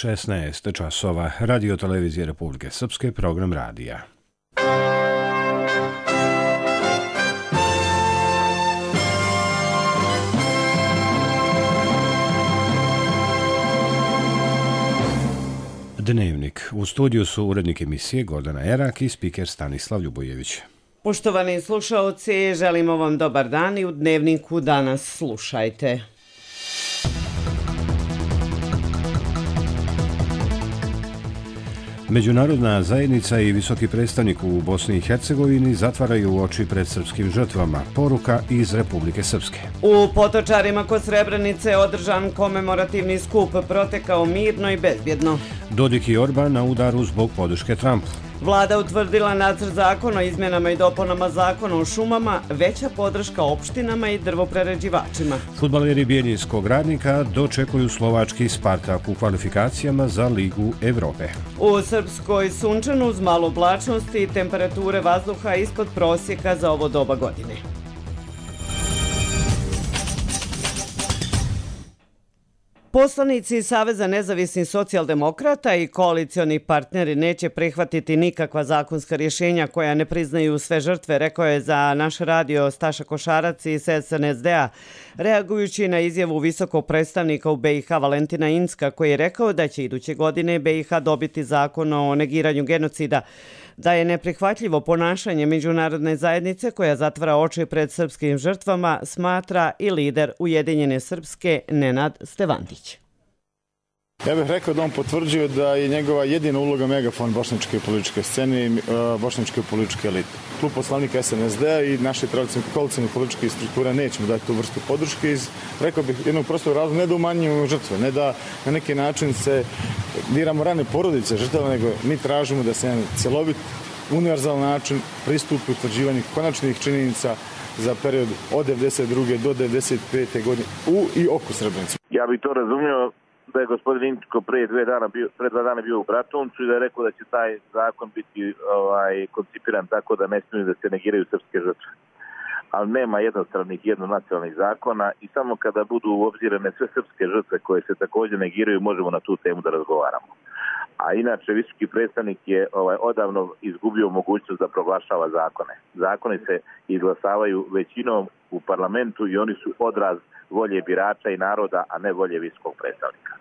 16 časova. Radio televizije Republike Srpske, program radija. Dnevnik. U studiju su urednik emisije Gordana Erak i spiker Stanislav Ljubojević. Poštovani slušaoci, želimo vam dobar dan i u Dnevniku danas slušajte. Međunarodna zajednica i visoki predstavnik u Bosni i Hercegovini zatvaraju oči pred srpskim žrtvama. Poruka iz Republike Srpske. U Potočarima kod Srebrenice održan komemorativni skup, protekao mirno i bezbjedno. Dodik i Orban na udaru zbog podrške Trumpu. Vlada utvrdila nacrt zakona o izmjenama i dopunama zakona o šumama, veća podrška opštinama i drvoprerađivačima. Fudbaleri Bijeljinskog Radnika dočekuju slovački Spartak u kvalifikacijama za Ligu Evrope. U Srpskoj sunčanu uz malo oblačnosti i temperature vazduha ispod prosjeka za ovo doba godine. Poslanici Saveza nezavisnih socijaldemokrata i koalicioni partneri neće prihvatiti nikakva zakonska rješenja koja ne priznaju sve žrtve, rekao je za naš radio Staša Košarac iz SNSD-a, reagujući na izjavu visokog predstavnika u BiH Valentina Incka, koji je rekao da će iduće godine BiH dobiti zakon o negiranju genocida, da je neprihvatljivo ponašanje međunarodne zajednice koja zatvara oči pred srpskim žrtvama, smatra i lider Ujedinjene Srpske Nenad Stevandić. Ja bih rekao da on potvrđuje da je njegova jedina uloga megafon bošnjačke političke scene i bošnjačke političke elite. Klub poslanika SNSD-a i naše koalicijne političke strukture nećemo dati tu vrstu podrške iz, rekao bih, jednog prostog razloga, ne da umanjujemo žrtve, ne da na neki način se diramo rane porodice žrtava, nego mi tražimo da se jedan cjelovit, univerzalan način pristupi utvrđivanju konačnih činjenica za period od 92. do 95. godine u i oko Srebrenice. Ja bih to razumio da je gospodin Inčko pre 2 dana bio u Bratuncu i da je rekao da će taj zakon biti koncipiran tako da ne smiju da se negiraju srpske žrtve. Ali nema jednonacionalnih zakona i samo kada budu obzirane sve srpske žrtve koje se također negiraju, možemo na tu temu da razgovaramo. A inače, visoki predstavnik je odavno izgubio mogućnost da proglašava zakone. Zakoni se izglasavaju većinom u parlamentu i oni su odraz volje birača i naroda, a ne volje visokog predstavnika.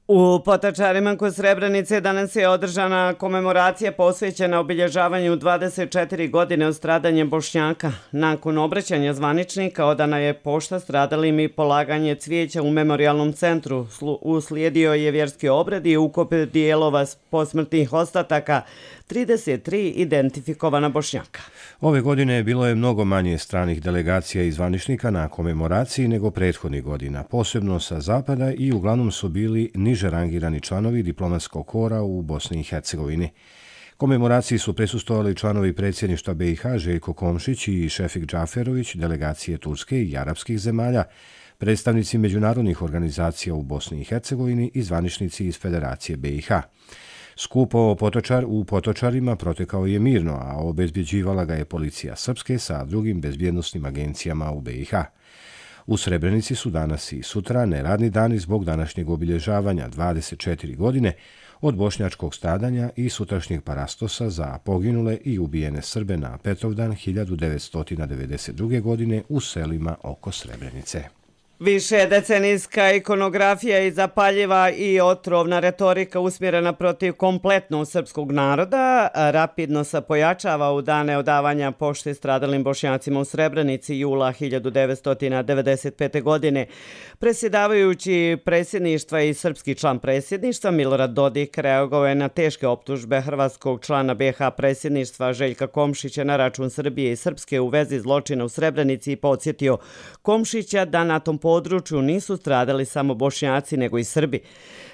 U Potočarima kod Srebrenice danas je održana komemoracija posvećena obilježavanju 24 godine od stradanja Bošnjaka. Nakon obraćanja zvaničnika odana je pošta stradalim i polaganje cvijeća u memorijalnom centru. Uslijedio je vjerski obred i ukop dijelova posmrtnih ostataka 33 identifikovana Bošnjaka. Ove godine bilo je mnogo manje stranih delegacija i zvaničnika na komemoraciji nego prethodnih godina, posebno sa zapada, i uglavnom su bili niže rangirani članovi diplomatskog kora u Bosni i Hercegovini. Komemoraciji su prisustvovali članovi predsjedništva BiH Željko Komšić i Šefik Džaferović, delegacije Turske i arapskih zemalja, predstavnici međunarodnih organizacija u Bosni i Hercegovini i zvaničnici iz Federacije BiH. Skup u Potočarima protekao je mirno, a obezbjeđivala ga je policija Srpske sa drugim bezbjednosnim agencijama u BiH. U Srebrenici su danas i sutra neradni dani zbog današnjeg obilježavanja 24 godine od bošnjačkog stradanja i sutrašnjeg parastosa za poginule i ubijene Srbe na Petrovdan 1992. godine u selima oko Srebrenice. Više decenijska ikonografija i zapaljiva i otrovna retorika usmjerena protiv kompletnog srpskog naroda rapidno se pojačava u dane odavanja pošte stradalim Bošnjacima u Srebrenici jula 1995. godine. Predsjedavajući predsjedništva i srpski član predsjedništva Milorad Dodik reagovao je na teške optužbe hrvatskog člana BiH predsjedništva Željka Komšića na račun Srbije i Srpske u vezi zločina u Srebrenici i podsjetio Komšića da na tom području nisu stradali samo Bošnjaci nego i Srbi.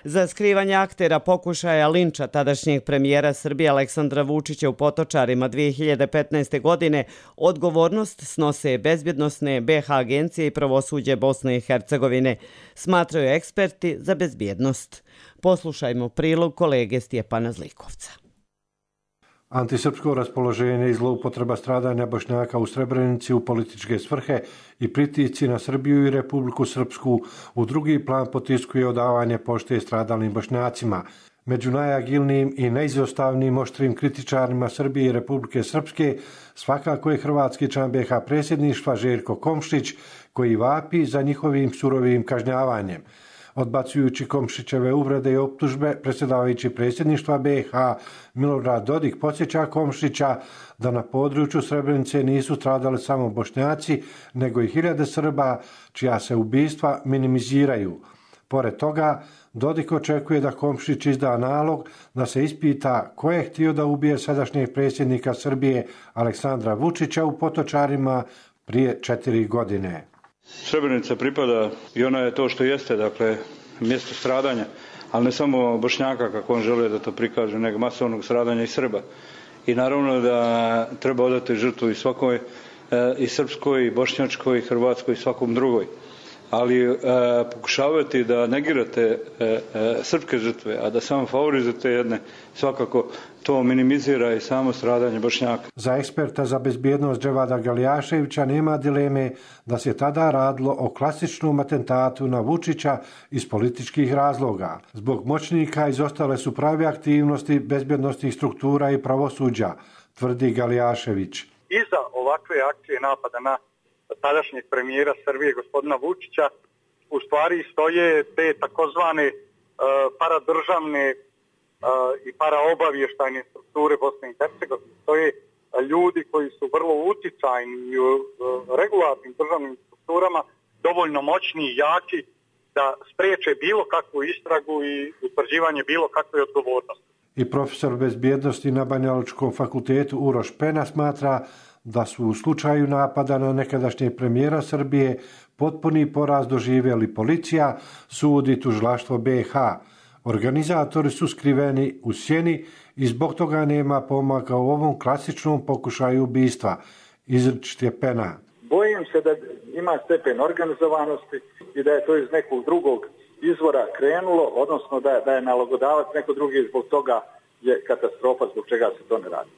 Za skrivanje aktera pokušaja linča tadašnjeg premijera Srbije Aleksandra Vučića u Potočarima 2015. godine odgovornost snose bezbjednosne BiH agencije i pravosuđe Bosne i Hercegovine, smatraju eksperti za bezbjednost. Poslušajmo prilog kolege Stjepana Zlikovca. Antisrpsko raspoloženje i zloupotreba stradanja Bošnjaka u Srebrenici u političke svrhe i pritisci na Srbiju i Republiku Srpsku u drugi plan potiskuje odavanje pošte stradalim Bošnjacima. Među najagilnijim i neizostavnim oštrim kritičarima Srbije i Republike Srpske svakako je hrvatski član BiH predsjedništva Željko Komšić, koji vapi za njihovim surovim kažnjavanjem. Odbacujući Komšićeve uvrede i optužbe, predsjedavajući predsjedništva BiH Milorad Dodik podsjeća Komšića da na području Srebrenice nisu stradali samo Bošnjaci, nego i hiljade Srba, čija se ubistva minimiziraju. Pored toga, Dodik očekuje da Komšić izda nalog da se ispita ko je htio da ubije sadašnjeg predsjednika Srbije Aleksandra Vučića u Potočarima prije 4 godine. Srebrenica pripada i ona je to što jeste, dakle, mjesto stradanja, ali ne samo Bošnjaka, kako on žele da to prikaže, nego masovnog stradanja i Srba. I naravno da treba odati žrtvu i svakoj, i srpskoj, i bošnjačkoj, i hrvatskoj, i svakom drugoj. Ali pokušavati da negirate srpske žrtve, a da samo favorizujete jedne, svakako to minimizira i samo stradanje Bošnjaka. Za eksperta za bezbjednost Dževada Galijaševića nema dileme da se tada radilo o klasičnom atentatu na Vučića iz političkih razloga. Zbog moćnika izostale su prave aktivnosti bezbjednostnih struktura i pravosuđa, tvrdi Galijašević. Iza ovakve akcije napada na tadašnjeg premijera Srbije, gospodina Vučića, u stvari stoje te takozvane paradržavne i paraobavještajne strukture Bosne i Hercegovine. Stoje ljudi koji su vrlo uticajni u regularnim državnim strukturama, dovoljno moćni i jaki da spriječe bilo kakvu istragu i utvrđivanje bilo kakve odgovornosti. I profesor bezbjednosti na Banjalučkom fakultetu Uroš Pena smatra da su u slučaju napada na nekadašnjeg premijera Srbije potpuni poraz doživjeli policija, sud i tužilaštvo BiH. Organizatori su skriveni u sjeni i zbog toga nema pomaka u ovom klasičnom pokušaju ubistva, izričit je Pena. Bojim se da ima stepen organizovanosti i da je to iz nekog drugog izvora krenulo, odnosno da je nalogodavac neko drugi i zbog toga je katastrofa zbog čega se to ne radi.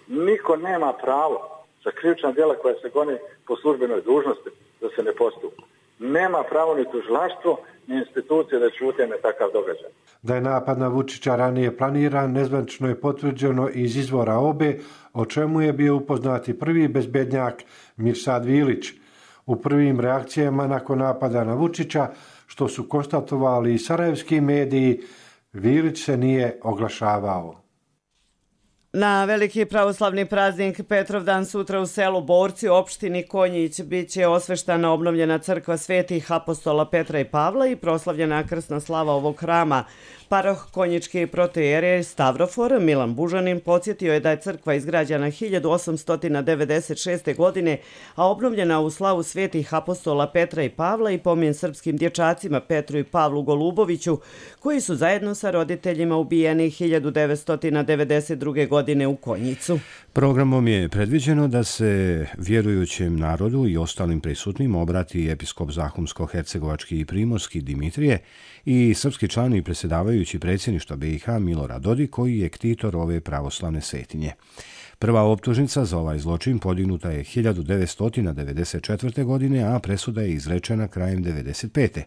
Niko nema pravo za krivična djela koja se gone po službenoj dužnosti da se ne postupa. Nema pravo ni tužilaštvo, ni institucije da ćute na takav događaj. Da je napad na Vučića ranije planiran, nezvanično je potvrđeno iz izvora OBE, o čemu je bio upoznati prvi bezbednjak Mirsad Vilić. U prvim reakcijama nakon napada na Vučića, što su konstatovali i sarajevski mediji, Vilić se nije oglašavao. Na veliki pravoslavni praznik Petrovdan sutra u selu Borci, opštini Konjić, bit će osveštana obnovljena crkva svetih apostola Petra i Pavla i proslavljena krsna slava ovog hrama. Paroh konjički protoijerej Stavrofor Milan Bužanin podsjetio je da je crkva izgrađena 1896. godine, a obnovljena u slavu svetih apostola Petra i Pavla i pomen srpskim dječacima Petru i Pavlu Goluboviću, koji su zajedno sa roditeljima ubijeni 1992. godine u Konjicu. Programom je predviđeno da se vjerujućem narodu i ostalim prisutnim obrati episkop Zahumsko-hercegovački i primorski Dimitrije i srpski član i predsjedavajući predsjedništva BiH Milorad Dodik, koji je ktitor ove pravoslavne svetinje. Prva optužnica za ovaj zločin podignuta je 1994. godine, a presuda je izrečena krajem 1995.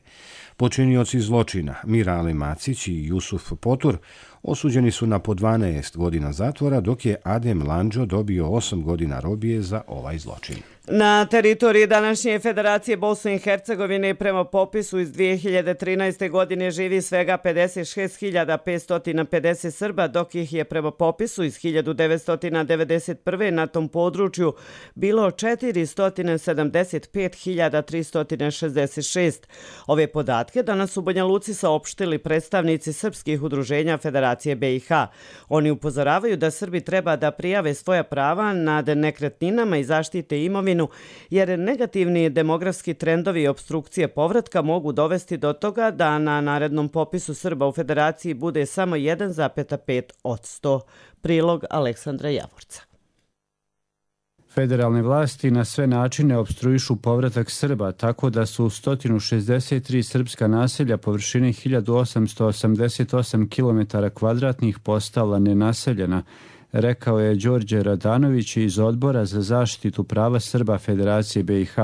Počinioci zločina Mirale Macić i Jusuf Potur osuđeni su na po 12 godina zatvora, dok je Adem Landžo dobio 8 godina robije za ovaj zločin. Na teritoriji današnje Federacije Bosne i Hercegovine prema popisu iz 2013. godine živi svega 56.550 Srba, dok ih je prema popisu iz 1991. na tom području bilo 475.366. Ove podatke danas u Banja Luci saopštili predstavnici srpskih udruženja Federacije BiH. Oni upozoravaju da Srbi treba da prijave svoja prava nad nekretninama i zaštite imovinu, jer negativni demografski trendovi i opstrukcije povratka mogu dovesti do toga da na narednom popisu Srba u Federaciji bude samo 1,5%. Prilog Aleksandra Javorca. Federalne vlasti na sve načine opstruišu povratak Srba, tako da su 163 srpska naselja površine 1888 km2 postala nenaseljena, rekao je Đorđe Radanović iz Odbora za zaštitu prava Srba Federacije BiH.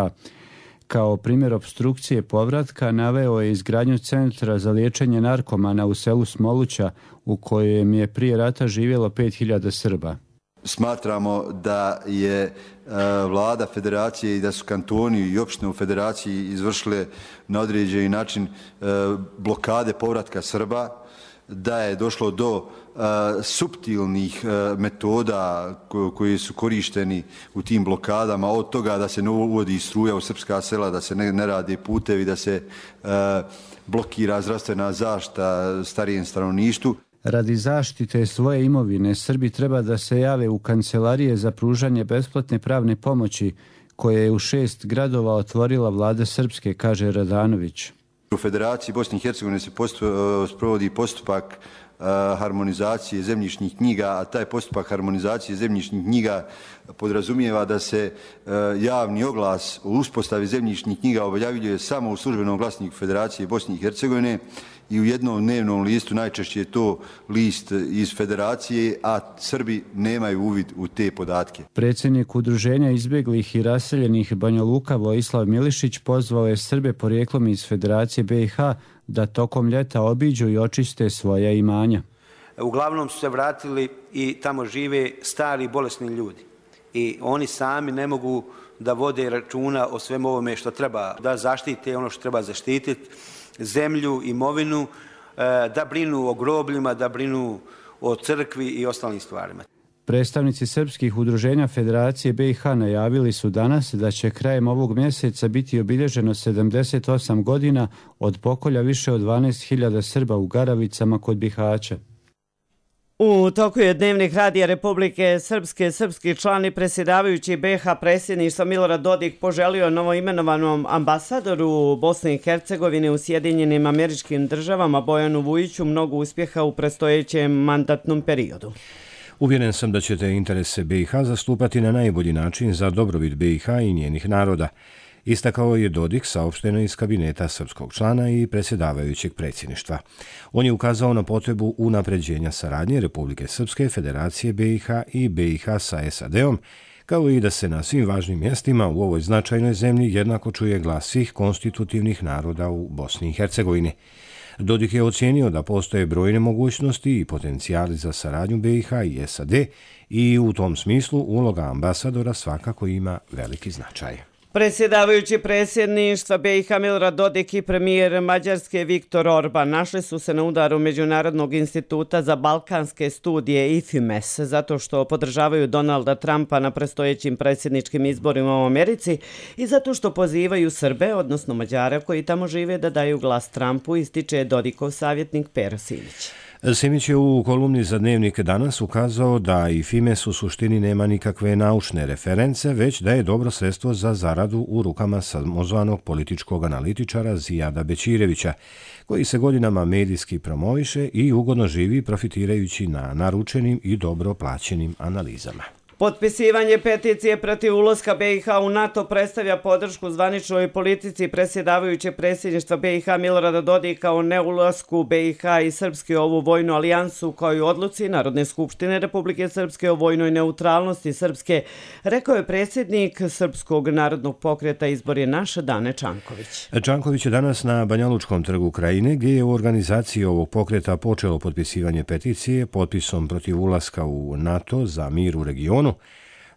Kao primjer opstrukcije povratka naveo je izgradnju centra za liječenje narkomana u selu Smoluća, u kojem je prije rata živjelo 5000 Srba. Smatramo da je vlada federacije i da su kantoni i opštine u federaciji izvršile na određeni način blokade povratka Srba, da je došlo do suptilnih metoda koji su korišteni u tim blokadama, od toga da se ne uvodi struja u srpska sela, da se ne rade putevi, da se blokira zdravstvena zaštita starijem stanovništvu. Radi zaštite svoje imovine, Srbi treba da se jave u kancelarije za pružanje besplatne pravne pomoći, koje je u 6 gradova otvorila vlada Srpske, kaže Radanović. U Federaciji Bosne i Hercegovine se sprovodi postupak harmonizacije zemljišnih knjiga, a taj postupak harmonizacije zemljišnih knjiga podrazumijeva da se javni oglas o uspostavi zemljišnih knjiga objavljuje samo u službenom glasniku Federacije Bosne i Hercegovine i u jednom dnevnom listu, najčešće je to list iz Federacije, a Srbi nemaju uvid u te podatke. Predsjednik Udruženja izbjeglih i raseljenih Banja Luka Vojislav Milišić pozvao je Srbe porijeklom iz Federacije BiH da tokom ljeta obiđu i očiste svoja imanja. Uglavnom su se vratili i tamo žive stari bolesni ljudi. I oni sami ne mogu da vode računa o svemu ovome što treba da zaštite, ono što treba zaštititi, zemlju, imovinu, da brinu o grobljima, da brinu o crkvi i ostalim stvarima. Predstavnici srpskih udruženja Federacije BiH najavili su danas da će krajem ovog mjeseca biti obilježeno 78 godina od pokolja više od 12.000 Srba u Garavicama kod Bihaća. U toku je Dnevnik Radija Republike Srpske, srpski član i predsjedavajući BiH predsjedništva Milorad Dodik poželio novoimenovanom ambasadoru Bosne i Hercegovine u Sjedinjenim Američkim Državama Bojanu Vujiću mnogo uspjeha u predstojećem mandatnom periodu. Uvjeren sam da ćete interese BiH zastupati na najbolji način za dobrobit BiH i njenih naroda, istakao je Dodik, saopšteno iz kabineta srpskog člana i predsjedavajućeg predsjedništva. On je ukazao na potrebu unapređenja saradnje Republike Srpske, Federacije BiH i BiH sa SAD-om, kao i da se na svim važnim mjestima u ovoj značajnoj zemlji jednako čuje glas svih konstitutivnih naroda u Bosni i Hercegovini. Dodik je ocijenio da postoje brojne mogućnosti i potencijali za saradnju BiH i SAD i u tom smislu uloga ambasadora svakako ima veliki značaj. Predsjedavajući predsjedništva BiH Milorad Dodik i premijer Mađarske Viktor Orban našli su se na udaru Međunarodnog instituta za balkanske studije IFIMES zato što podržavaju Donalda Trumpa na predstojećim predsjedničkim izborima u Americi i zato što pozivaju Srbe, odnosno Mađare koji tamo žive, da daju glas Trumpu, ističe Dodikov savjetnik Pero Simić. Simić je u kolumni za Dnevnik danas ukazao da i FIMES u suštini nema nikakve naučne reference, već da je dobro sredstvo za zaradu u rukama samozvanog političkog analitičara Zijada Bećirevića, koji se godinama medijski promoviše i ugodno živi profitirajući na naručenim i dobro plaćenim analizama. Potpisivanje peticije protiv ulaska BiH u NATO predstavlja podršku zvaničnoj politici predsjedavajućeg predsjedništva BiH Milorada Dodika o neulasku BiH i Srpske u ovu vojnu alijansu, kao i odluci Narodne skupštine Republike Srpske o vojnoj neutralnosti Srpske, rekao je predsjednik Srpskog narodnog pokreta Izbor je naš Dane Čanković. Čanković je danas na Banjalučkom trgu Krajine, gdje je u organizaciji ovog pokreta počelo potpisivanje peticije potpisom protiv ulaska u NATO za mir u regionu,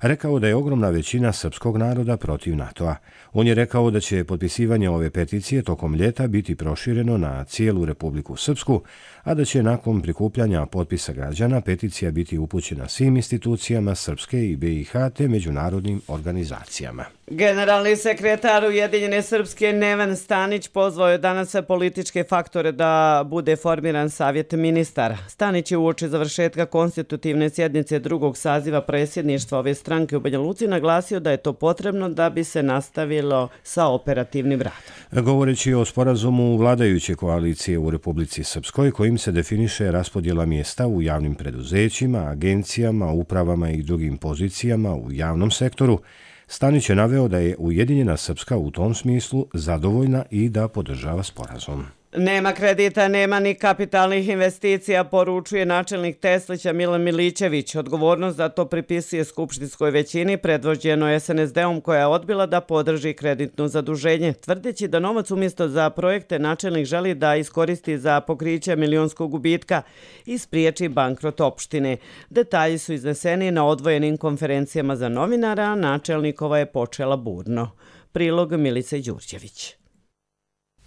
rekao da je ogromna većina srpskog naroda protiv NATO-a. On je rekao da će potpisivanje ove peticije tokom ljeta biti prošireno na cijelu Republiku Srpsku, a da će nakon prikupljanja potpisa građana peticija biti upućena svim institucijama Srpske i BiH te međunarodnim organizacijama. Generalni sekretar Ujedinjene Srpske Neven Stanić pozvao je danas političke faktore da bude formiran savjet ministara. Stanić je uoči završetka konstitutivne sjednice drugog saziva predsjedništva ove stranke u Banja Luci naglasio da je to potrebno da bi se nastavilo sa operativnim radom. Govoreći o sporazumu vladajuće koalicije u Republici Srpskoj, kojim se definiše raspodjela mjesta u javnim preduzećima, agencijama, upravama i drugim pozicijama u javnom sektoru, Stanić je naveo da je Ujedinjena Srpska u tom smislu zadovoljna i da podržava sporazum. Nema kredita, nema ni kapitalnih investicija, poručuje načelnik Teslića Milan Milićević. Odgovornost za to pripisuje skupštinskoj većini predvođeno SNSD-om koja je odbila da podrži kreditno zaduženje, tvrdeći da novac umjesto za projekte načelnik želi da iskoristi za pokriće milionskog gubitka i spriječi bankrot opštine. Detalji su izneseni na odvojenim konferencijama za novinara, a načelnikova je počela burno. Prilog Milice Đurđević.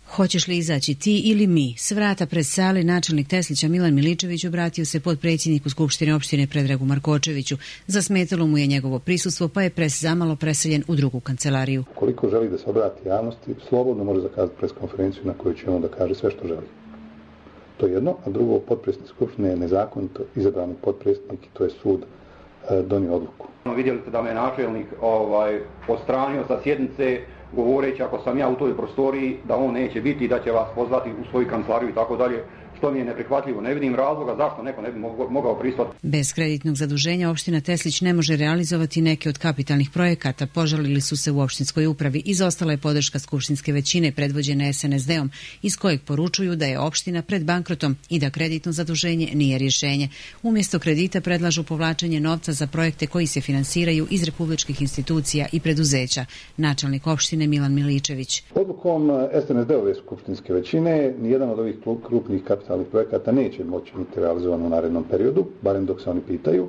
Hoćeš li izaći ti ili mi? S vrata pred sale načelnik Teslića Milan Milićević obratio se potpredsjedniku Skupštine opštine Predragu Markočeviću. Zasmetalo mu je njegovo prisustvo, pa je pres zamalo preseljen u drugu kancelariju. Koliko želi da se obrati javnosti, slobodno može zakazati pres konferenciju na kojoj će on da kaže sve što želi. To je jedno, a drugo, potpredsjednik Skupštine je nezakonito izabrani potpredsjednik i to je sud donio odluku. Vidjeli ste da me načelnik odstranio sa sjednice, govoreći ako sam ja u toj prostoriji da on neće biti i da će vas pozvati u svoju kancelariju i tako dalje, što mi je neprihvatljivo. Ne vidim razloga zašto neko ne bi mogao pristati. Bez kreditnog zaduženja opština Teslić ne može realizovati neke od kapitalnih projekata. Požalili su se u opštinskoj upravi. Izostala je podrška skupštinske većine predvođene SNSD-om, iz kojeg poručuju da je opština pred bankrotom i da kreditno zaduženje nije rješenje. Umjesto kredita predlažu povlačenje novca za projekte koji se finansiraju iz republičkih institucija i preduzeća. Načelnik opštine Milan Milićević. Odlukom SNSD-ove skupštinske većine nijedan od ovih krupnih kapitalnih projekata neće moći biti realizovan u narednom periodu, barem dok se oni pitaju,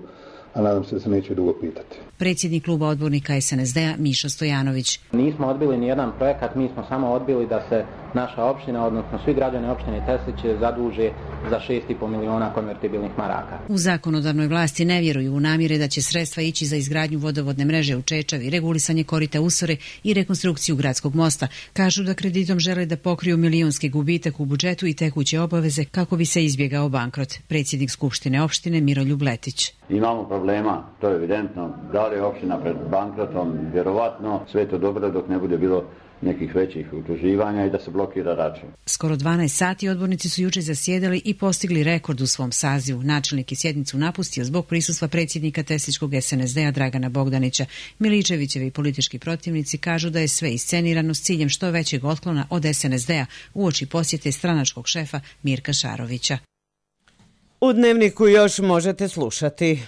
a nadam se da se neće dugo pitati. Predsjednik kluba odbornika SNSD-a Miša Stojanović. Nismo odbili ni jedan projekat, mi smo samo odbili da se naša opština, odnosno svi građani opštine Teslić zaduže za 6,5 miliona konvertibilnih maraka. U zakonodavnoj vlasti ne vjeruju u namjere da će sredstva ići za izgradnju vodovodne mreže u Čečavi, regulisanje korita Usore i rekonstrukciju gradskog mosta. Kažu da kreditom žele da pokriju milionski gubitak u budžetu i tekuće obaveze kako bi se izbjegao bankrot. Predsjednik Skupštine opštine Miroljub Letić. Imamo problema, to je evidentno. Da li je opština pred bankrotom? Vjerovatno. Sve je to dobro dok ne bude bilo nekih većih utuživanja i da se blokira račun. Skoro 12 sati odbornici su jučer zasjedali i postigli rekord u svom sazivu. Načelnik je sjednicu napustio zbog prisustva predsjednika Tesličkog SNSD-a Dragana Bogdanića. Milićevićevi politički protivnici kažu da je sve iscenirano s ciljem što većeg otklona od SNSD-a uoči posjete stranačkog šefa Mirka Šarovića. U Dnevniku još možete slušati.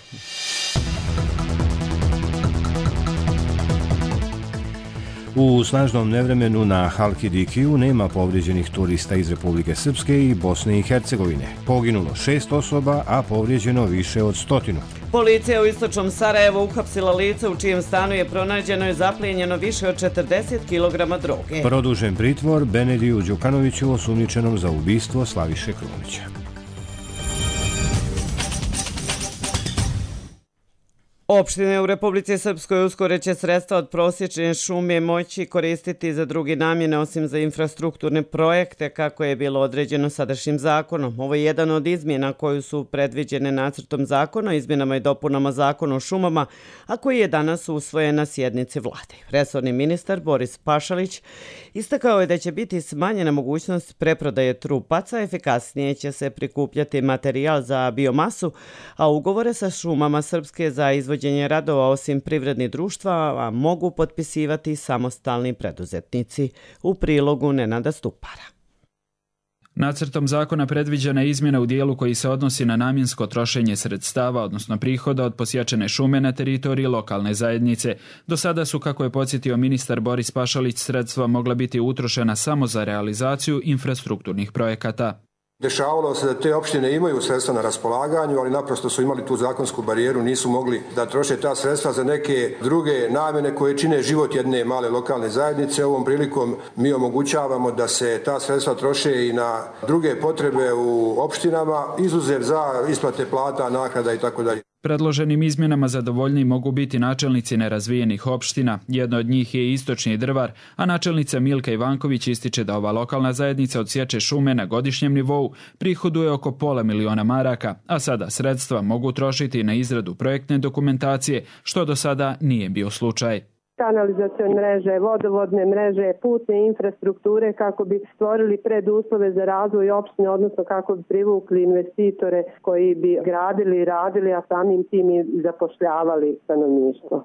U snažnom nevremenu na Halkidikiju nema povrijeđenih turista iz Republike Srpske i Bosne i Hercegovine. Poginulo 6 osoba, a povrijeđeno više od 100. Policija u istočnom Sarajevu uhapsila lice u čijem stanu je pronađeno i zaplijenjeno više od 40 kg droge. Produžen pritvor Benediju Đukanoviću osumnjičenom za ubistvo Slaviše Krunića. Opštine u Republici Srpskoj uskoro će sredstva od prosječne šume moći koristiti za druge namjene osim za infrastrukturne projekte kako je bilo određeno sadašnjim zakonom. Ovo je jedan od izmjena koju su predviđene nacrtom zakona o izmjenama i dopunama zakona o šumama, a koji je danas usvojen na sjednici vlade. Resorni ministar Boris Pašalić istakao je da će biti smanjena mogućnost preprodaje trupaca, efikasnije će se prikupljati materijal za biomasu, a ugovore sa šumama Srpske za izvođenje radova osim privrednih društva mogu potpisivati samostalni preduzetnici. U prilogu Nenada Stupara. Nacrtom zakona predviđena je izmjena u dijelu koji se odnosi na namjensko trošenje sredstava, odnosno prihoda od posjećene šume na teritoriji lokalne zajednice. Do sada su, kako je podsjetio ministar Boris Pašalić, sredstva mogla biti utrošena samo za realizaciju infrastrukturnih projekata. Dešavalo se da te opštine imaju sredstva na raspolaganju, ali naprosto su imali tu zakonsku barijeru, nisu mogli da troše ta sredstva za neke druge namjene koje čine život jedne male lokalne zajednice. Ovom prilikom mi omogućavamo da se ta sredstva troše i na druge potrebe u opštinama, izuzev za isplate plata, naknada i tako dalje. Predloženim izmjenama zadovoljni mogu biti načelnici nerazvijenih opština. Jedna od njih je Istočni Drvar, a načelnica Milka Ivanković ističe da ova lokalna zajednica od sječe šume na godišnjem nivou prihoduje oko $500.000 maraka, a sada sredstva mogu trošiti na izradu projektne dokumentacije, što do sada nije bio slučaj. Kanalizacione mreže, vodovodne mreže, putne infrastrukture kako bi stvorili preduslove za razvoj opštine, odnosno kako bi privukli investitore koji bi gradili i radili, a samim tim i zapošljavali stanovništvo.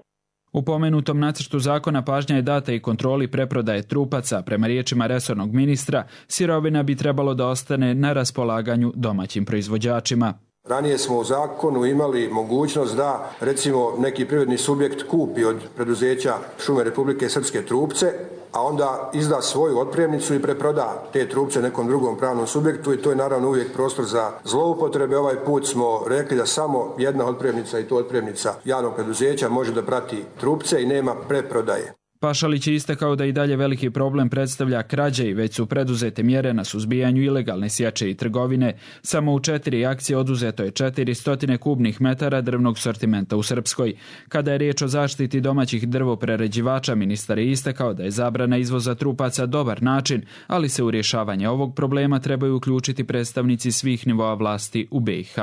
U pomenutom nacrtu zakona pažnja je data i kontroli preprodaje trupaca. Prema riječima resornog ministra, sirovina bi trebalo da ostane na raspolaganju domaćim proizvođačima. Ranije smo u zakonu imali mogućnost da, recimo, neki privredni subjekt kupi od preduzeća Šume Republike Srpske trupce, a onda izda svoju otpremnicu i preproda te trupce nekom drugom pravnom subjektu i to je naravno uvijek prostor za zloupotrebe. Ovaj put smo rekli da samo jedna otpremnica i to otpremnica javnog preduzeća može da prati trupce i nema preprodaje. Pašalić je istakao da i dalje veliki problem predstavlja krađe i već su preduzete mjere na suzbijanju ilegalne sječe i trgovine. Samo u 4 akcije oduzeto je 400 kubnih metara drvnog sortimenta u Srpskoj. Kada je riječ o zaštiti domaćih drvoprerađivača, ministar je istakao da je zabrana izvoza trupaca dobar način, ali se u rješavanje ovog problema trebaju uključiti predstavnici svih nivoa vlasti u BiH.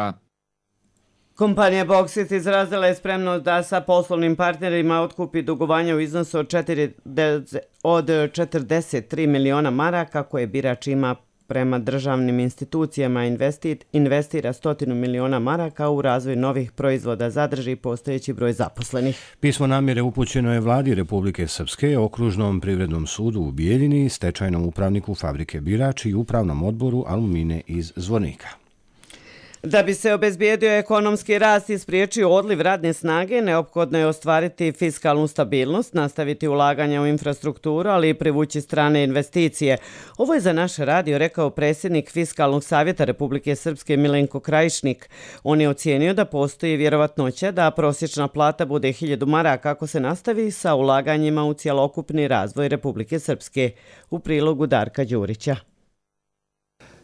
Kompanija Boksit izrazila je spremnost da sa poslovnim partnerima otkupi dugovanja u iznosu od 43 miliona maraka koje birač ima prema državnim institucijama, investira 100 miliona maraka u razvoj novih proizvoda, zadrži postojeći broj zaposlenih. Pismo namjere upućeno je vladi Republike Srpske, Okružnom privrednom sudu u Bijeljini, stečajnom upravniku fabrike Birač i upravnom odboru Alumine iz Zvornika. Da bi se obezbijedio ekonomski rast i spriječio odliv radne snage, neophodno je ostvariti fiskalnu stabilnost, nastaviti ulaganja u infrastrukturu, ali i privući strane investicije. Ovo je za naš radio rekao predsjednik Fiskalnog savjeta Republike Srpske Milenko Krajišnik. On je ocijenio da postoji vjerovatnoća da prosječna plata bude 1000 maraka ako se nastavi sa ulaganjima u cjelokupni razvoj Republike Srpske. U prilogu Darka Đurića.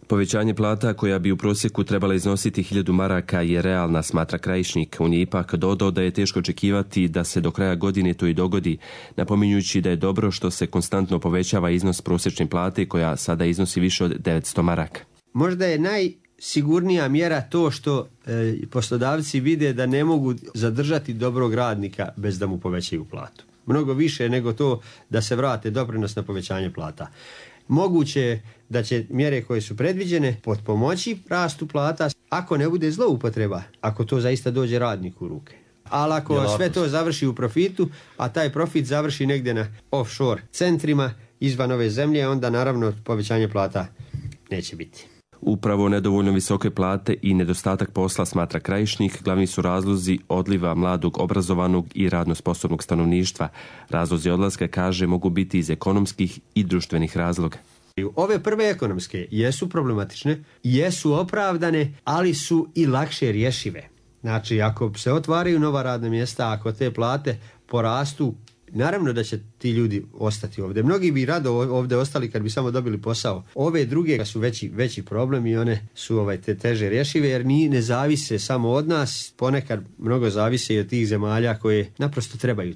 Povećanje plata koja bi u prosjeku trebala iznositi 1000 maraka je realna, smatra Krajišnik. On je ipak dodao da je teško očekivati da se do kraja godine to i dogodi, napominjući da je dobro što se konstantno povećava iznos prosječne plate koja sada iznosi više od 900 maraka. Možda je najsigurnija mjera to što poslodavci vide da ne mogu zadržati dobrog radnika bez da mu povećaju platu. Mnogo više nego to da se vrate doprinos na povećanje plata. Moguće je da će mjere koje su predviđene potpomoći rastu plata ako ne bude zloupotreba, ako to zaista dođe radniku u ruke. Ali ako sve to završi u profitu, a taj profit završi negdje na offshore centrima izvan ove zemlje, onda naravno povećanje plata neće biti. Upravo nedovoljno visoke plate i nedostatak posla, smatra Krajišnik, glavni su razlozi odliva mladog, obrazovanog i radno sposobnog stanovništva. Razlozi odlaska, kaže, mogu biti iz ekonomskih i društvenih razloga. Ove prve ekonomske jesu problematične, jesu opravdane, ali su i lakše rješive. Znači, ako se otvaraju nova radna mjesta, ako te plate porastu, naravno da će ti ljudi ostati ovdje. Mnogi bi rado ovdje ostali kad bi samo dobili posao. Ove druge su veći problem i one su teže rješive jer ne zavise samo od nas, ponekad mnogo zavise i od tih zemalja koje naprosto trebaju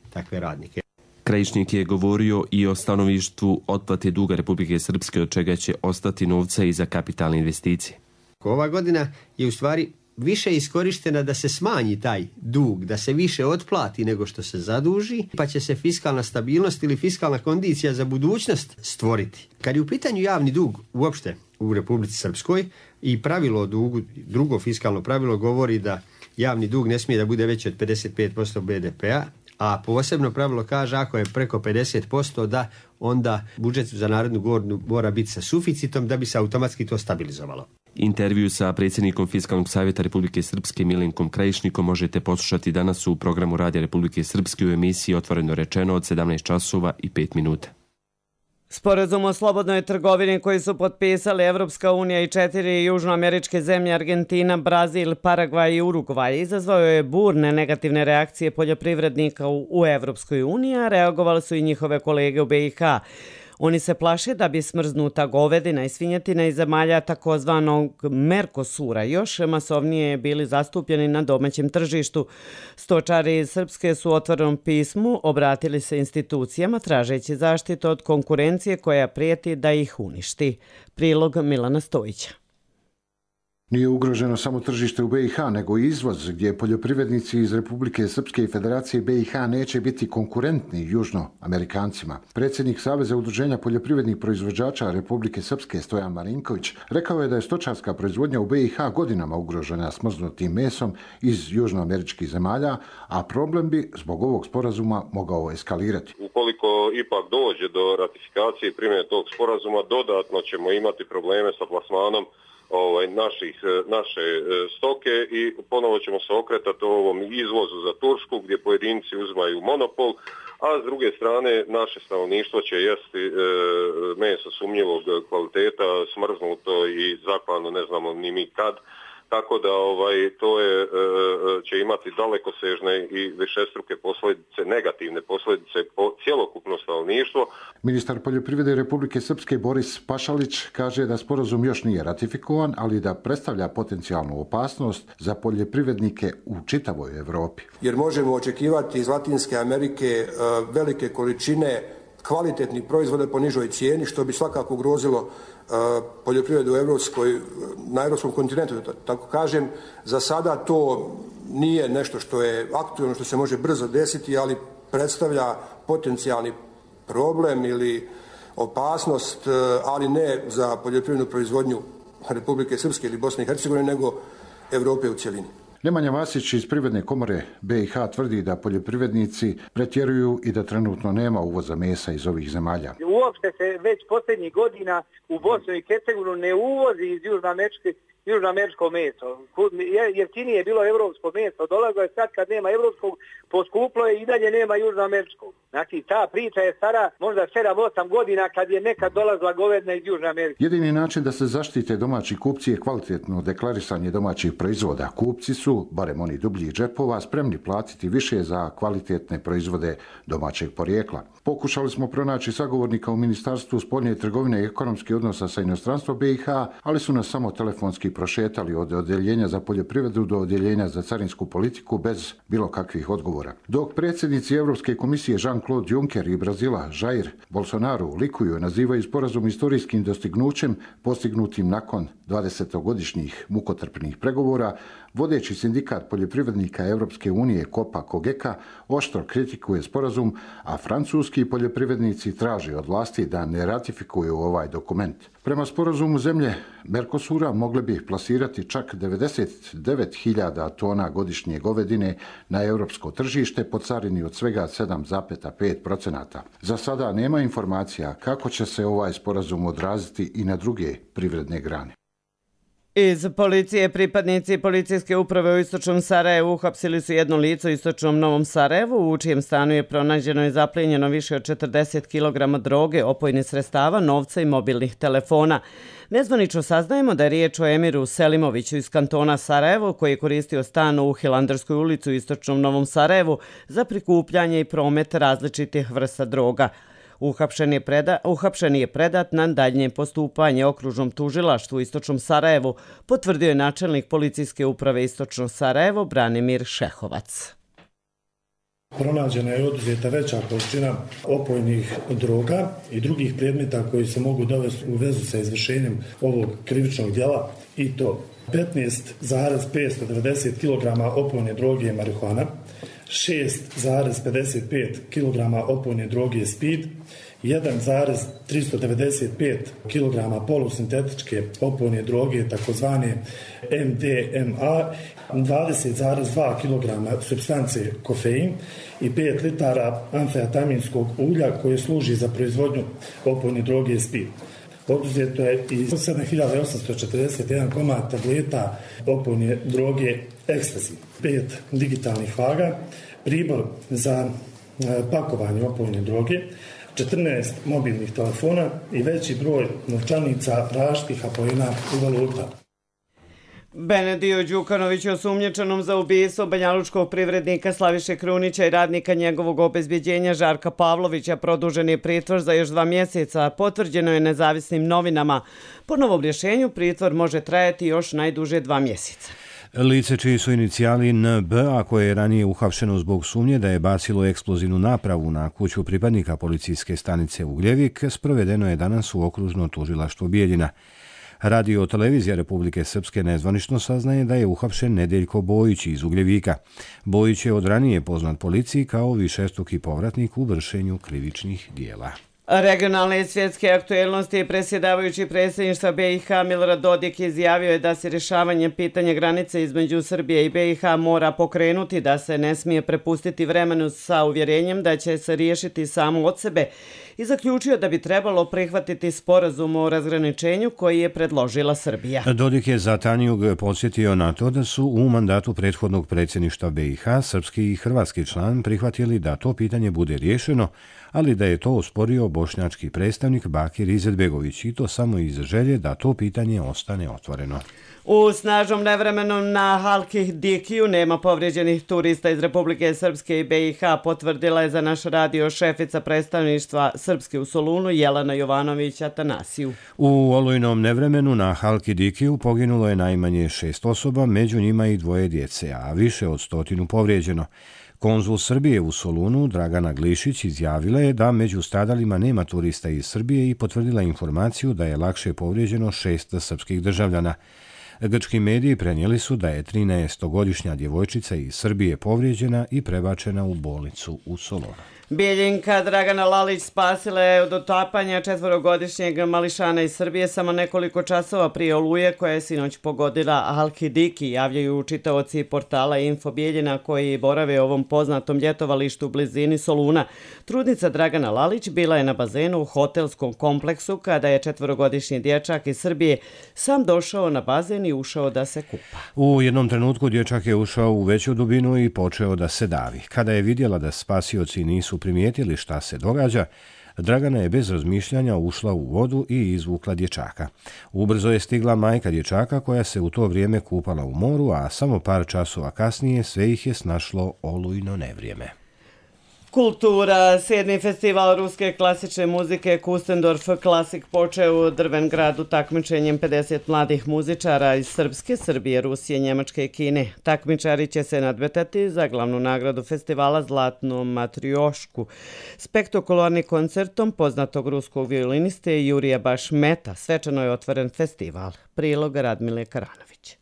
takve radnike. Krajišnik je govorio i o stanovištvu otplate duga Republike Srpske, od čega će ostati novca i za kapitalne investicije. Ova godina je u stvari više iskorištena da se smanji taj dug, da se više otplati nego što se zaduži, pa će se fiskalna stabilnost ili fiskalna kondicija za budućnost stvoriti. Kad je u pitanju javni dug uopšte u Republici Srpskoj i pravilo o dugu, drugo fiskalno pravilo govori da javni dug ne smije da bude veći od 55% BDP-a, a posebno pravilo kaže ako je preko 50% da onda budžet za narednu godinu mora biti sa suficitom da bi se automatski to stabilizovalo. Intervju sa predsjednikom Fiskalnog savjeta Republike Srpske Milenkom Krajišnikom možete poslušati danas u programu Radija Republike Srpske u emisiji Otvoreno rečeno od 17 časova i 5 minuta. Sporazum o slobodnoj trgovini koji su potpisali Evropska unija i 4 južnoameričke zemlje Argentina, Brazil, Paragvaj i Urugvaj izazvao je burne negativne reakcije poljoprivrednika u Evropskoj uniji, a reagovali su i njihove kolege u BiH. Oni se plaše da bi smrznuta govedina i svinjetina iz zemalja takozvanog Mercosura još masovnije bili zastupljeni na domaćem tržištu. Stočari iz Srpske su u otvorenom pismu obratili se institucijama tražeći zaštitu od konkurencije koja prijeti da ih uništi. Prilog Milana Stojića. Nije ugroženo samo tržište u BiH, nego i izvoz, gdje poljoprivrednici iz Republike Srpske i Federacije BiH neće biti konkurentni južnoamerikancima. Predsjednik Saveza udruženja poljoprivrednih proizvođača Republike Srpske Stojan Marinković rekao je da je stočarska proizvodnja u BiH godinama ugrožena smrznutim mesom iz južnoameričkih zemalja, a problem bi zbog ovog sporazuma mogao eskalirati. Ukoliko ipak dođe do ratifikacije i primjene tog sporazuma, dodatno ćemo imati probleme sa plasmanom naše stoke i ponovo ćemo se okretati ovom izvozu za Tursku gdje pojedinci uzimaju monopol, a s druge strane naše stanovništvo će jesti meso sumnjivog kvaliteta, smrznuto i zaklano ne znamo ni mi kad. Tako da to će imati dalekosežne i višestruke posljedice, negativne posljedice po cjelokupno stanovništvo. Ministar poljoprivrede Republike Srpske Boris Pašalić kaže da sporazum još nije ratifikovan, ali da predstavlja potencijalnu opasnost za poljoprivrednike u čitavoj Europi. Jer možemo očekivati iz Latinske Amerike velike količine kvalitetnih proizvoda po nižoj cijeni, što bi svakako ugrozilo poljoprivredu na europskom kontinentu, tako kažem. Za sada to nije nešto što je aktualno, što se može brzo desiti, ali predstavlja potencijalni problem ili opasnost, ali ne za poljoprivrednu proizvodnju Republike Srpske ili Bosne i Hercegovine, nego Europe u cjelini. Nemanja Vasić iz Privredne komore BiH tvrdi da poljoprivrednici pretjeruju i da trenutno nema uvoza mesa iz ovih zemalja. Uopšte se već posljednjih godina u Bosnu i Hercegovinu ne uvozi iz južnoameričko meso. Jeftinije je bilo evropsko meso, dolazilo je sad kad nema evropskog, poskuplo je i dalje nema južnoameričkog. Znači ta priča je stara možda 7-8 godina kad je nekad dolazila govedina iz Južne Amerike. Jedini način da se zaštite domaći kupci je kvalitetno deklarisanje domaćih proizvoda. Kupci su, barem oni dubljih džepova, spremni platiti više za kvalitetne proizvode domaćeg porijekla. Pokušali smo pronaći sagovornika u Ministarstvu spoljne trgovine i ekonomskih odnosa sa inostranstvom BiH, ali su nas samo telefonski prošetali od odjeljenja za poljoprivredu do odjeljenja za carinsku politiku bez bilo kakvih odgovora. Dok predsjednici Europske komisije Jean-Claude Juncker i Brazila Jair Bolsonaro likuju i nazivaju sporazum istorijskim dostignućem postignutim nakon 20-godišnjih mukotrpnih pregovora, vodeći sindikat poljoprivrednika Europske unije Copa-Cogeca oštro kritikuje sporazum, a francuski poljoprivrednici traže od vlasti da ne ratifikuju ovaj dokument. Prema sporazumu zemlje Mercosura mogle bi plasirati čak 99.000 tona godišnje govedine na europsko tržište po carini od svega 7,5%. Za sada nema informacija kako će se ovaj sporazum odraziti i na druge privredne grane. Iz policije pripadnici policijske uprave u istočnom Sarajevu uhapsili su jedno lice u istočnom Novom Sarajevu, u čijem stanu je pronađeno i zaplijenjeno više od 40 kg droge, opojnih sredstava, novca i mobilnih telefona. Nezvanično saznajemo da je riječ o Emiru Selimoviću iz kantona Sarajevo, koji je koristio stan u Hilandarskoj ulici u istočnom Novom Sarajevu za prikupljanje i promet različitih vrsta droga. Uhapšen je predat na daljnje postupanje okružnom tužilaštvu u istočnom Sarajevu, potvrdio je načelnik policijske uprave istočno Sarajevo Branimir Šehovac. Pronađena je oduzeta veća količina opojnih droga i drugih predmeta koji se mogu dovesti u vezu sa izvršenjem ovog krivičnog djela, i to 15,590 kg opojne droge marihuana, 6,55 kg opojne droge speed, 1,395 kg polusintetičke opojne droge takozvane MDMA, 20,2 kg supstance kofein i 5 litara amfetaminskog ulja koje služi za proizvodnju opojne droge speed. Oduzeto je i 7841 komad tableta opojne droge ekstazi, 5 digitalnih vaga, pribor za pakovanje opojne droge, 14 mobilnih telefona i veći broj novčanica različitih apojena i valuta. Benediju Đukanović je osumnjičenom za ubistvo banjalučkog privrednika Slaviše Krunića i radnika njegovog obezbjeđenja Žarka Pavlovića produžen je pritvor za još 2 mjeseca, potvrđeno je nezavisnim novinama. Po novom rješenju pritvor može trajati još najduže 2 mjeseca. Lice čiji su inicijali NB, a koje je ranije uhapšeno zbog sumnje da je bacilo eksplozivnu napravu na kuću pripadnika policijske stanice Ugljevik, sprovedeno je danas u okružno tužilaštvo Bijeljina. Radio televizija Republike Srpske nezvanično saznaje da je uhapšen Nedeljko Bojić iz Ugljevika. Bojić je od ranije poznat policiji kao višestruki povratnik u vršenju krivičnih dijela. Regionalne i svjetske aktuelnosti predsjedavajući predsjedništva BiH Milorad Dodik izjavio je da se rješavanje pitanja granice između Srbije i BiH mora pokrenuti, da se ne smije prepustiti vremenu sa uvjerenjem da će se riješiti samo od sebe i zaključio da bi trebalo prihvatiti sporazum o razgraničenju koji je predložila Srbija. Dodik je za Tanjug podsjetio na to da su u mandatu prethodnog predsjedništva BiH srpski i hrvatski član prihvatili da to pitanje bude riješeno, ali da je to osporio bošnjački predstavnik Bakir Izetbegović i to samo iz želje da to pitanje ostane otvoreno. U snažnom nevremenu na Halki Dikiju nema povrijeđenih turista iz Republike Srpske i BiH, potvrdila je za naš radio šefica predstavništva Srpske u Solunu Jelena Jovanović Atanasiju. U olujnom nevremenu na Halki Dikiju poginulo je najmanje 6 osoba, među njima i 2 djece, a više od 100 povrijeđeno. Konzul Srbije u Solunu Dragana Glišić izjavila je da među stradalima nema turista iz Srbije i potvrdila informaciju da je lakše povrijeđeno 6 srpskih državljana. Grčki mediji prenijeli su da je 13-godišnja djevojčica iz Srbije povrijeđena i prebačena u bolnicu u Solunu. Bijeljinka Dragana Lalić spasila je od utapanja 4-godišnjeg mališana iz Srbije samo nekoliko časova prije oluje koja je sinoć pogodila Halkidiki, javljaju čitaoci portala Info Bijeljina koji borave u ovom poznatom ljetovalištu u blizini Soluna. Trudnica Dragana Lalić bila je na bazenu u hotelskom kompleksu kada je 4-godišnji dječak iz Srbije sam došao na bazen i ušao da se kupa. U jednom trenutku dječak je ušao u veću dubinu i počeo da se davi. Kada je vidjela da spasioci nisu primijetili šta se događa, Dragana je bez razmišljanja ušla u vodu i izvukla dječaka. Ubrzo je stigla majka dječaka koja se u to vrijeme kupala u moru, a samo par časova kasnije sve ih je snašlo olujno nevrijeme. Kultura, 7. festival ruske klasične muzike Kustendorf Klasik počeo u Drvengradu takmičenjem 50 mladih muzičara iz Srpske, Srbije, Rusije, Njemačke i Kine. Takmičari će se nadmetati za glavnu nagradu festivala Zlatnu matriošku. Spektakularnim koncertom poznatog ruskog violiniste Jurija Bašmeta svečano je otvoren festival. Prilog Radmile Karanović.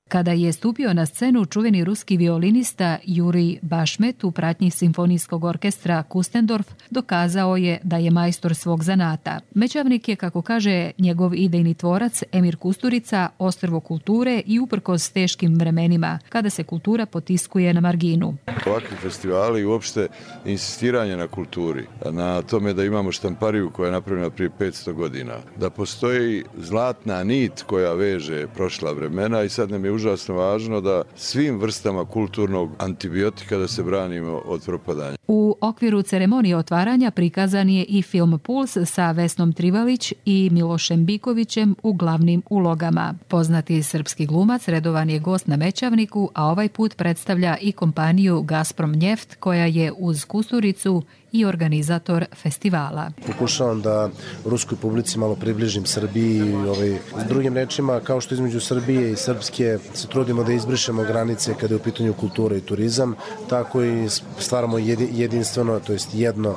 Kada je stupio na scenu čuveni ruski violinista Jurij Bašmet u pratnji simfonijskog orkestra Kustendorf, dokazao je da je majstor svog zanata. Mećavnik je, kako kaže njegov idejni tvorac Emir Kusturica, ostrvo kulture i uprkos teškim vremenima, kada se kultura potiskuje na marginu. Ovakvi festivali i uopšte insistiranje na kulturi, na tome da imamo štampariju koja je napravljena prije 500 godina, da postoji zlatna nit koja veže prošla vremena i sad nam je užasno važno da svim vrstama kulturnog antibiotika da se branimo od propadanja. U okviru ceremonije otvaranja prikazan je i film Puls sa Vesnom Trivalić i Milošem Bikovićem u glavnim ulogama. Poznati srpski glumac redovan je gost na Mećavniku, a ovaj put predstavlja i kompaniju Gazprom Njeft koja je uz Kusturicu i organizator festivala. Pokušavam da ruskoj publici malo približim Srbiji i s drugim rečima, kao što između Srbije i Srpske se trudimo da izbrišemo granice kada je u pitanju kultura i turizam, tako i stvaramo jedinstveno, to jest jedno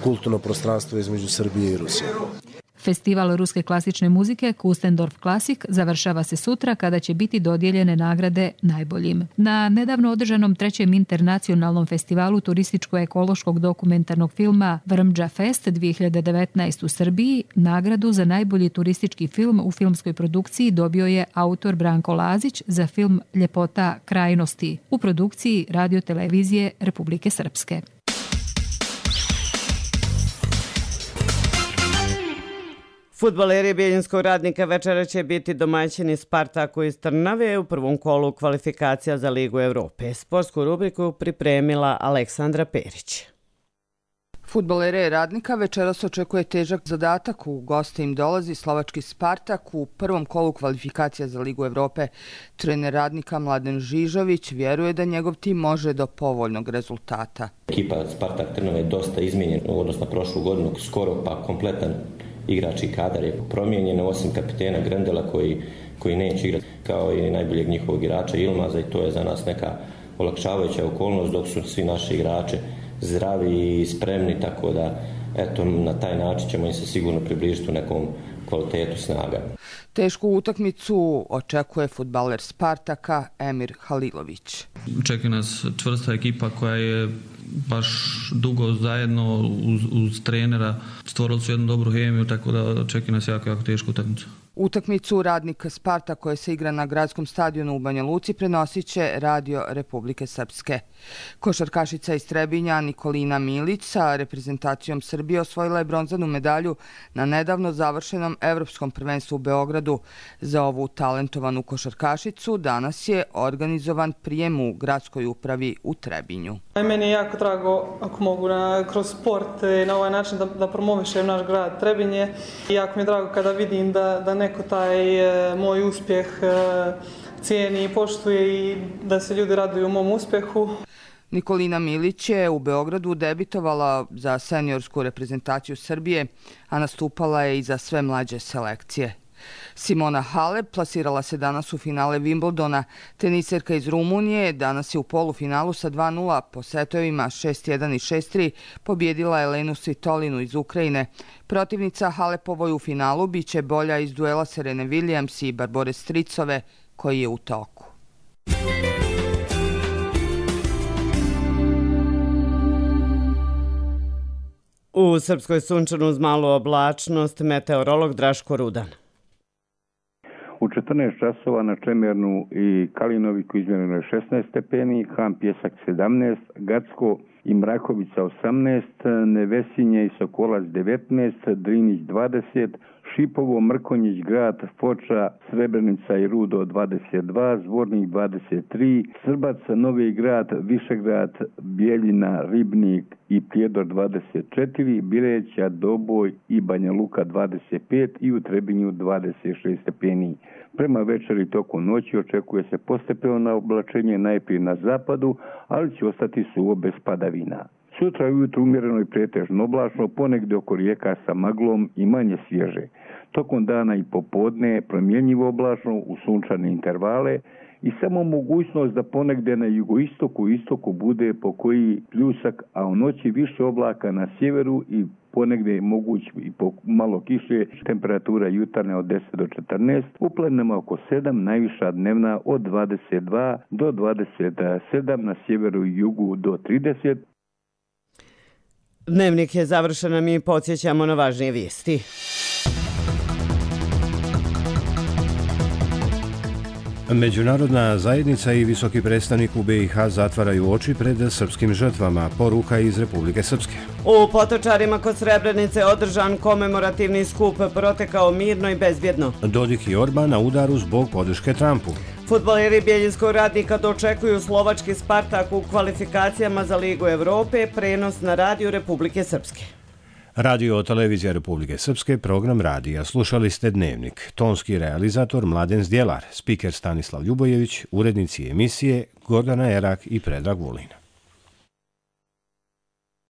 kulturno prostranstvo između Srbije i Rusije. Festival ruske klasične muzike Kustendorf Klasik završava se sutra kada će biti dodijeljene nagrade najboljim. Na nedavno održanom 3. internacionalnom festivalu turističko-ekološkog dokumentarnog filma Vrmđa Fest 2019 u Srbiji nagradu za najbolji turistički film u filmskoj produkciji dobio je autor Branko Lazić za film Ljepota krajnosti u produkciji Radio-televizije Republike Srpske. Fudbaleri Bijeljinskog Radnika večera će biti domaćini Spartaku iz Trnave u prvom kolu kvalifikacija za Ligu Evrope. Sportsku rubriku pripremila Aleksandra Perić. Fudbalere Radnika večeras očekuje težak zadatak. U goste im dolazi slovački Spartak u prvom kolu kvalifikacija za Ligu Evrope. Trener Radnika Mladen Žižović vjeruje da njegov tim može do povoljnog rezultata. Ekipa Spartak Trnava je dosta izmijenjena u odnosu na prošlu godinu, skoro pa kompletan igrački kadar je promijenjen, osim kapitena Grendela koji neće igrati, kao i najboljeg njihovog igrača Ilmaza, i to je za nas neka olakšavajuća okolnost, dok su svi naši igrači zdravi i spremni, tako da eto, na taj način ćemo im se sigurno približiti u nekom kvalitetu snaga. Tešku utakmicu očekuje fudbaler Spartaka Emir Halilović. Čeka nas čvrsta ekipa koja je baš dugo zajedno uz trenera. Stvorili su jednu dobru hemiju, tako da čeka nas jako tešku utakmicu. Utakmicu Radnika Sparta koja se igra na gradskom stadionu u Banja Luci prenosit će Radio Republike Srpske. Košarkašica iz Trebinja Nikolina Milić sa reprezentacijom Srbije osvojila je bronzanu medalju na nedavno završenom Evropskom prvenstvu u Beogradu. Za ovu talentovanu košarkašicu danas je organizovan prijem u gradskoj upravi u Trebinju. Meni je jako drago ako mogu kroz sport na ovaj način da promovišem naš grad Trebinje. Jako mi je drago kada vidim da neko taj moj uspjeh cijeni i poštuje i da se ljudi raduju mom uspjehu. Nikolina Milić je u Beogradu debitovala za seniorsku reprezentaciju Srbije, a nastupala je i za sve mlađe selekcije. Simona Halep plasirala se danas u finale Wimbledona. Teniserka iz Rumunije danas je u polufinalu sa 2:0 po setovima 6:1 i 6:3 pobjedila Elenu Svitolinu iz Ukrajine. Protivnica Halepovoj u finalu biće bolja iz duela Serene Williams i Barbore Stricove koji je u toku. U Srpskoj sunčanu uz malu oblačnost meteorolog Draško Rudan. U 14 časova na Čemernu i Kalinoviku izmjereno je 16 stepeni, Ham Pjesak 17, Gacko i Mrakovica 18, Nevesinje i Sokolac 19, Drinić 20, Šipovo, Mrkonjić, Grad, Foča, Srebrenica i Rudo 22, Zvornik 23, Srbac, Novi Grad, Višegrad, Bijeljina, Ribnik i Prijedor 24, Bileća, Doboj i Banja Luka 25 i u Trebinju 26 stepeni. Prema večeri tokom noći očekuje se postepeno oblačenje najprije na zapadu, ali će ostati suvo bez padavina. Sutra ujutro umjereno i pretežno oblačno, ponegdje oko rijeka sa maglom i manje svježe. Tokom dana i popodne promjenjivo oblačno u sunčane intervale i samo mogućnost da ponegdje na jugoistoku i istoku bude po koji pljusak, a u noći više oblaka na sjeveru i ponegdje je moguć i po malo kiše, temperatura jutarnja od 10 do 14, u planinama oko 7, najviša dnevna od 22 do 27, na sjeveru i jugu do 30. Dnevnik je završen, a mi podsjećamo na važnije vijesti. Međunarodna zajednica i visoki predstavnik u BiH zatvaraju oči pred srpskim žrtvama, poruka iz Republike Srpske. U Potočarima kod Srebrenice održan komemorativni skup protekao mirno i bezbjedno. Dodik i Orban na udaru zbog podrške Trumpu. Fudbaleri Bjeljinskog Radnika dočekuju slovački Spartak u kvalifikacijama za Ligu Evrope, prenos na radiju Republike Srpske. Radio Televizija Republike Srpske, program radija. Slušali ste Dnevnik. Tonski realizator Mladen Zdjelar, spiker Stanislav Ljubojević, urednici emisije Gordana Erak i Predrag Vulin.